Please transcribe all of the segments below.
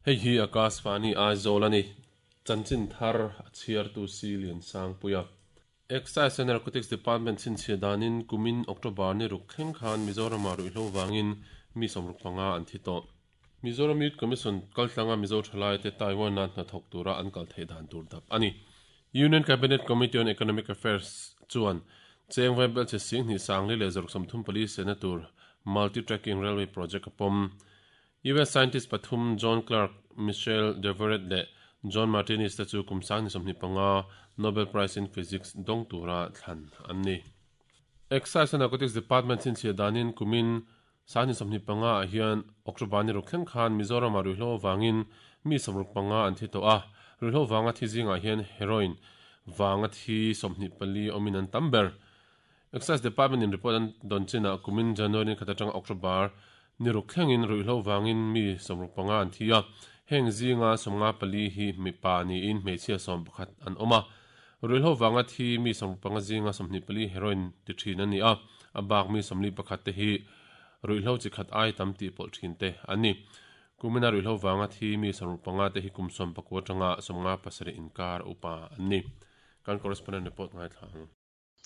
Hei hi Akashvani Aizawl a ni. Chanchin thar a chhiartu si Liansangpuia. Excise and Narcotics Department chhinchhiah danin kumin October ni ruk thleng khan Mizoramah ruihhlo vangin mi 65 an thi tawh. Mizoram Youth Commission kaltlanga Mizo thalaite Taiwan-a hnathawk tura an kal theih dan tur dap a ni. Union Cabinet Committee on Economic Affairs chuan cheng vaibelchhe 2434 sehna tur Multi-Tracking Railway Project a pawm. US scientist pathum John Clarke, Michel Devoret leh John Martinis te chu kum 2025 Nobel Prize in Physics dawng tura thlan an ni. Excise and Narcotics Department chhinchhiah danin kumin 2025 ah hian October ni ruk thleng khan Mizoramah ruihhlo avangin mi 65 an thi tawh a, ruihhlo vanga thi zingah hian heroin vanga thi 24 awmin an tam ber. Excise Department in report an dawn chinah kumin January ni khat atanga October ni ruk thlengin ruihhlo vangin mi 65 an thi a, heng zinga 54 hi mipa niin hmeichhia 11 an awm a. Ruihhlo vanga thi mi 65 zinga 24 heroin ti thin an ni a, a bak mi 41 te hi ruihhlo chi khat ai tam tih pawlh thin te an ni. Kumina ruihhlo vanga thi mi 65 te hi kum 19 atanga 57 inkar upa an ni. Kan correspondent report ngaithla ang.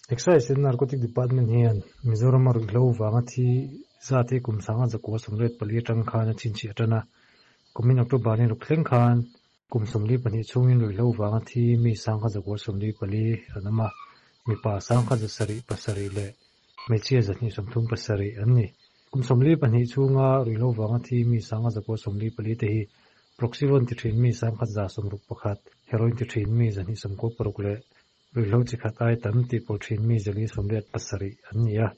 Excise and Narcotic Department hian Mizoram a ruihhlo vanga thi zat hi kum 1984 atang khan a chhinchhiah tan a. Kumin October ni ruk thleng khan kum 42 chhungin ruihhlo vanga thi mi 1944 an awm a, mipa 1707 leh hmeichhia 237 an ni. Kum 42 chhunga ruihhlo vanga thi mi 1944 te hi Proxyvon ti thin mi 1161, heroin ti thin mi 296 leh ruihhlo chi khat ai tam tih pawlh thin mi 487 an ni a.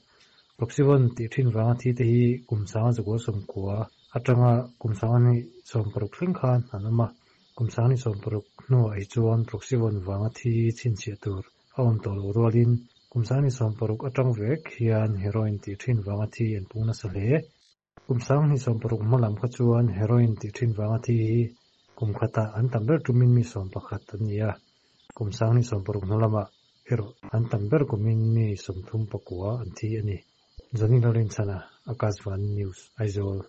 Proxyvon tih thin vanga thi te hi kum 1990 atanga kum 1960 thleng khan an awm a. Kum 1960 hnuah hi chuan Proxyvon vanga thi chhinchhiah tur a awm tawh loh rualin kum 1960 atang vek hian heroin tih thin vanga thi an pung nasa hle. Kum 1960 hmalam kha chuan heroin tih thin vanga thi hi kum khatah an tam ber tumin mi 11 an ni a. Kum 1960 hnulamah erawh an tam ber kumin mi 39 an thi a ni. Johnny Lalrinchhana, Akashvani News, Aizawl.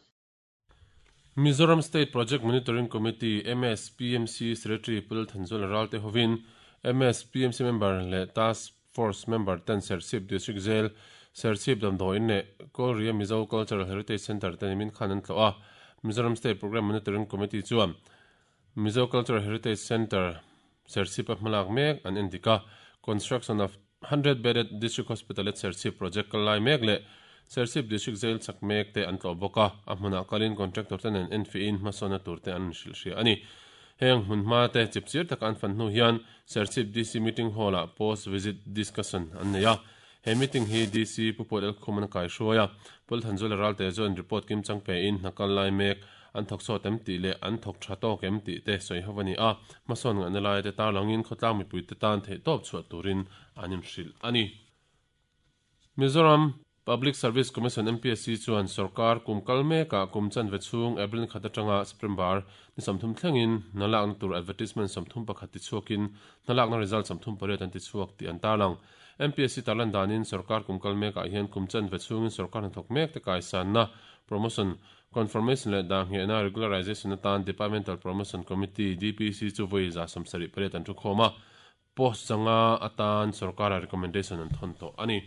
Mizoram State Project Monitoring Committee, MSPMC, Secretary Pu Lalthanzuala Ralte hovin MSPMC member leh Task Force member ten Serchhip District Jail, Serchhip Damdawiin leh Kawlria Mizo Cultural Heritage Centre te nimin khan an tlawh a. Mizoram State Programme Monitoring Committee chuan Mizo Cultural Heritage Centre, Serchhip a hmalak mek an endik a, Construction of 100 Bedded District Hospital at Serchhip project kal lai mek leh Serchhip District Jail chak mek te an tlawh bawk a, a hmunah kalin contractor te nen enfiahin hmasawnna tur te an hrilh hria a ni. Heng hmun hma te chipchir taka an fan hnu hian Serchhip DC Meeting Hall ah Post Visit Discussion an nei a, he meeting hi DC Pu Paul Elkhuman a kaihruai a, Paul Thanzuala Ralte chuan report kim chang pein hna kal lai mek an thawk sawt em tih leh an thawk tha tawk em tih te sawi ho a ni a, hmasawn ngaihna lai te tarlangin khawtlang mipuite tan theihtawp chhuah turin an inhrilh a ni. Mizoram Public Service Commission, MPSC, chuan sorkar kum kal mekah kum chanve chhung April khat atanga September ni 30 thlengin hna lakna tur advertisement 31 tichhuakin hna lakna result 38 an tichhuak tih an tarlang. MPSC tarlan danin sorkar kum kal mekah hian kum chanve chhungin sorkar hnathawk mek te kaisanna, promotion, confirmation leh dahnghehna, regularization, atan Departmental Promotion Committee, DPC, chu vawi 78 an thukhawm a. Post zanga atan sorkara recommendation an thawn tawh a ni.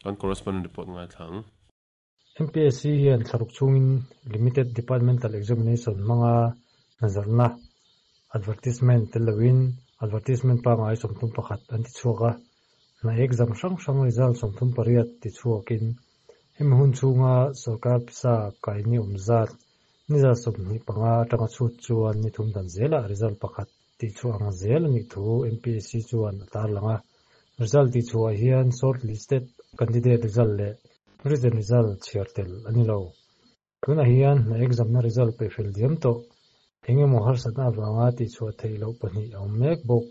Kan correspondent report ngaithla ang. MPSC hian thlaruk chhungin Limited Departmental Examination hmanga hnazarna, advertisement, tel loin advertisement pangngai 31 an tichhuak a, hna exam hrang hrang result 38 tichhuakin hemi hun chhunga sorkar pisa kaini awm zat ni 25 atanga chhut chuan ni thum dan zelah result pakhat tihchhuah ang zel a nih thu MPSC chuan a tarlang a. Result tihchhuah hian shortlisted candidate result leh written result chhiar tel a ni lo. Tunah hian hna exam na result peihfel diam tawh eng emaw harsatna avanga tihchhuah theih loh pahnih a awm mek bawk.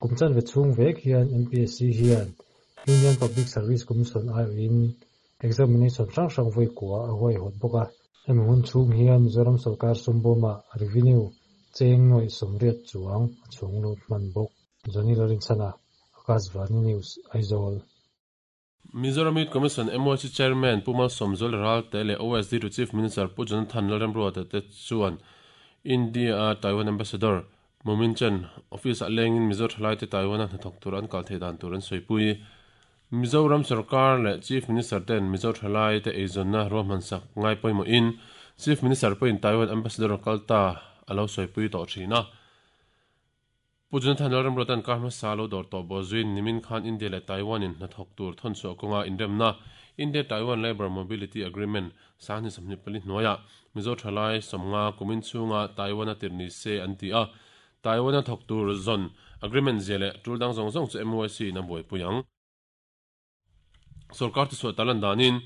Kum chanve chhung vek hian MPSC hian Union Public Service Commission aiawhin examination hrang hrang vawi kua a huaihawt bawk a. Hemi hun chhung hian Mizoram sorkar sumbawmah revenue cheng nuaih 80 chuang a chhung lut hman bawk. Johnny Lalrinchhana, Akashvani News, Aizawl. Mizoram Youth Commission, MYC, Chairman Pu Malsawmzuala Ralte leh OSD to Chief Minister Pu Jonathan Lalremruata te chuan India a Taiwan Ambassador Mumin Chen office ah lengin Mizo thalaite Taiwan a hnathawk tur an kal theih dan tur an sawipui. Mizoram sorkar leh Chief Minister ten Mizo thalaite eizawnna ruahmansak ngai pawimawhin Chief Minister pawhin Taiwan Ambassador kal ta a lo sawipui tawh thin a. Pu Jonathan Lalramruata'n kar hmasa lo dawr tawh bawh zuiin nimin khan India leh Taiwan in hnathawk tur thawnchhuah kawnga inremna India-Taiwan Labour Mobility Agreement 2024 hnuaiah Mizo thalai 50 kumin chhunga Taiwan-a tirh ni se an ti a, Taiwan-a thawk tur zawn agreement zia leh tul dang zawng zawng chu MYC in a buaipui ang. Sorkar thuchhuah tal an danin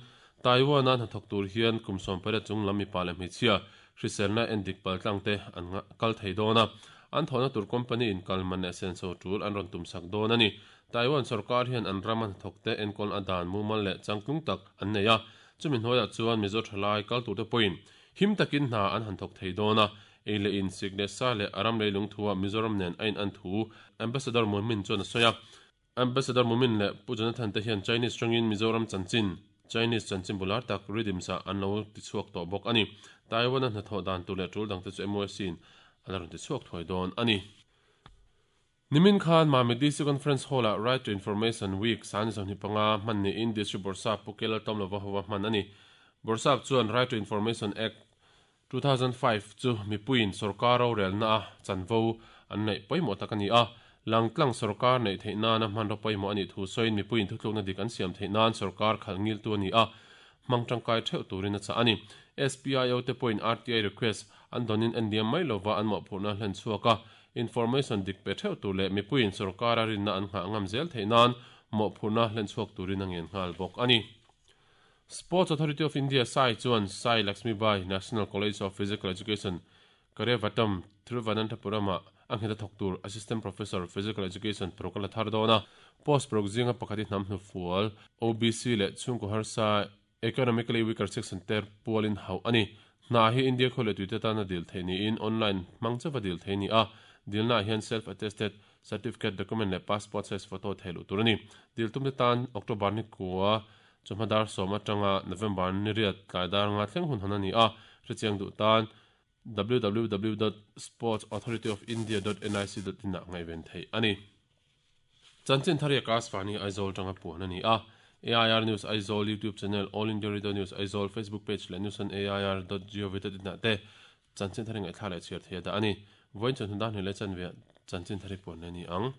Taiwan-a hnathawk tur hian kum 18 chung lam mipa leh hmeichhia hriselna endik paltlang te an kal thei dawn a, an thawhna tur company in kal man leh senso tul an rawn tumsak dawn a ni. Taiwan sorkar hian an rama hnathawk te enkawl a dan mumal leh changtlung tak an nei a, chumi hnuaiah chuan Mizo thalai kal turte pawhin him takin hna an han thawk thei dawn a, ei leh in sik leh sa leh a ram leilung thuah Mizoram nen a in an thu Ambassador Mumin chuan a sawi a. Ambassador Mumin leh Pu Jonathan te hian Chinese tawngin Mizoram chanchin, Chinese chanchin bular tak Rhythms ah an lo tichhuak tawh bawk a ni. Taiwan-a hnathawh dan tur leh tul dangte chu MOSC in a la rawn tichhuak thuai dawn a ni. Nimin khan Mami DC Conference Hall-ah Right to Information Week 2025 hman niin District Bawrhsap Pu Kelal Tomlova hova hman a ni. Bawrhsap chuan Right to Information Act, 2005 chu mipuiin sorkar rorelna a chanvo an neih pawimawh tak a ni a, langtlang sorkar neih theih nana hmanraw pawimawh a nih thu sawiin mipuiin thutlukna dik an siam theih nan sorkar khalh ngiltu a ni a, hmang tangkai theuh turin a chah a ni. SPIO te pawhin RTI request an dawnin en liam mai lova an mawhphurhna hlen chhuak a, information dik pe theuh tur leh mipuiin sorkara rinna an nghah ngam zel theih nan mawhphurhna hlen chhuak turin a ngen nghal bawk a ni. Sports Authority of India, SAI, chuan Sai Lakshmibai National College of Physical Education, Karyavattom, Thiruvananthapuram-ah a nghet a thawk tur Assistant Professor, Physical Education, paruk a la thar dawn a. Post paruk zinga pakhat hi hnam hnufual, OBC leh chhungkaw harsa, Economically Weaker Section te pualin hauh a ni. Hna hi India khaw leh tuite tana dil theih niin online hmang chauha dil theih a ni a. Dilnaah hian self-attested certificate document leh passport size photo theih luh tur a ni. Dil tumte tan October ni kua Chawhma dar sawm atanga November ni riat tlai dar nga thleng hun hawn a ni a, hrechiang duh tan www dot sportsauthority-of-india dot nic dot in ah ngaihven theih a ni. Chanchin thar hi Akashvani Aizawl atanga puan a ni a, AIR News Aizawl YouTube channel, All India Radio News Aizawl Facebook page leh news on air dot gov dot in ah te chanchin thar hi ngaihthla leh chhiar thei a dah a ni. Vawiin chawhnu dar hnih leh chanve ah chanchin thar hi puan leh a ni ang.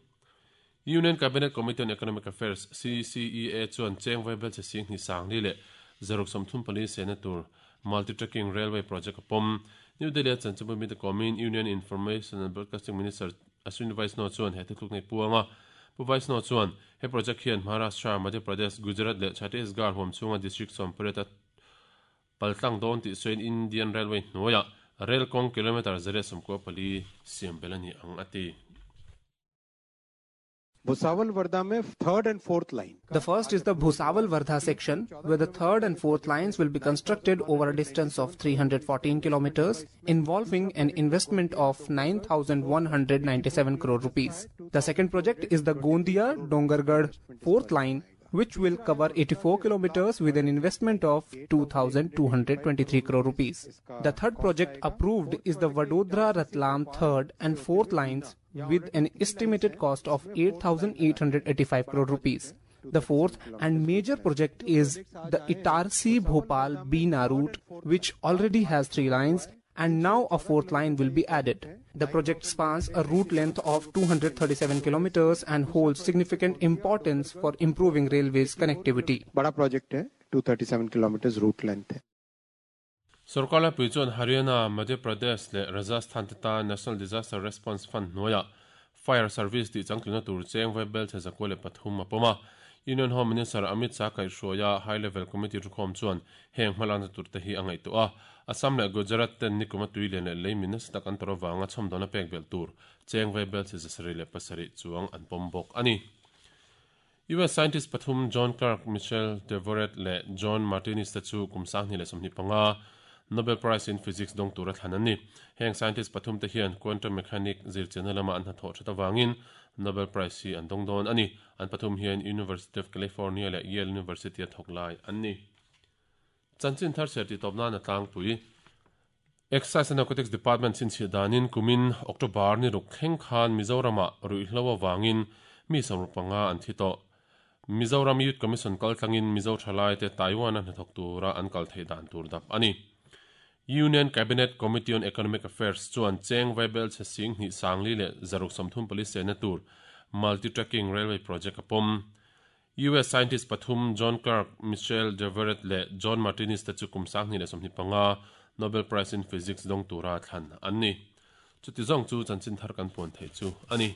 Union Cabinet Committee on Economic Affairs, CCEA, chuan cheng vaibel che sing hnih sang li leh zaruk 34 sehna tur Multi-Tracking Railway Project a pawm. New Delhi-a chanchinbu mite kawmin Union Information and Broadcasting Minister Ashwini Vaishnaw chuan he thutluk nei puang a. Pu Vaishnaw chuan he project hian Maharashtra, Madhya Pradesh, Gujarat leh Chhattisgarh huam chhunga district 18 a paltlang dawn tih sawiin Indian Railway hnuaiah rel kawng kilometre 194 siam belh a ni ang a ti. Bhusawal Wardha mein third and fourth line. The first is the Bhusawal Wardha section, where the third and fourth lines will be constructed over a distance of 314 kilometers, involving an investment of 9,197 crore rupees. The second project is the Gondia Dongargarh fourth line, which will cover 84 kilometers with an investment of 2,223 crore rupees. The third project approved is the Vadodara Ratlam third and fourth lines with an estimated cost of 8,885 crore rupees. The fourth and major project is the Itarsi Bhopal Bina route, which already has three lines and now a fourth line will be added. The project spans a route length of 237 kilometers and holds significant importance for improving railways connectivity. Bada project hai, 237 kilometers route length hai. Sorkar laipui chuan Haryana, Madhya Pradesh leh Rajasthan te tan National Disaster Response Fund hnuaiah Fire Service tih changtluna tur cheng vai belchhe 103 a pawm a. Union Home Minister Amit Shah kaihhruaia High Level Committee thukhawm chuan heng hmalakna tur te hi a ngaihtuah a. Assam leh Gujarat ten nikuma tui lian leh lei min nasa tak an tawrh avanga chhawmdawna pek belh tur cheng vai belchhe 77 chuang an pawm bawk a ni. US scientist pathum John Clarke, Michel Devoret leh John Martinis te chu kum 2025 Nobel Prize in Physics dawng tura thlan an ni. Heng scientist pathum te hian quantum mechanic zirchianna lama an hnathawh that avangin Nobel Prize hi an dawng dawn a ni. An pathum hian University of California leh Yale University a thawk lai an ni. Chanchin thar chhiar tih tawp nan a tlangpui. Excise and Narcotics Department chhinchhiah danin kumin October ni ruk thleng khan Mizoramah ruihhlo avangin mi 65 an thi tawh. Mizoram Youth Commission kaltlangin Mizo thalaite Taiwan-a hnathawk tura an kal theih dan tur dap a ni. Union Cabinet Committee on Economic Affairs chuan cheng vaibel chhe sing hnih sangli leh 634 sehna tur Multi-Tracking Railway Project a pawm. US scientist pathum John Clarke, Michel Devoret leh John Martinis te chu kum 2025 Nobel Prize in Physics dawng tura thlan an ni. Chuti zawng chu chanchin thar kan puan theih chu a ni.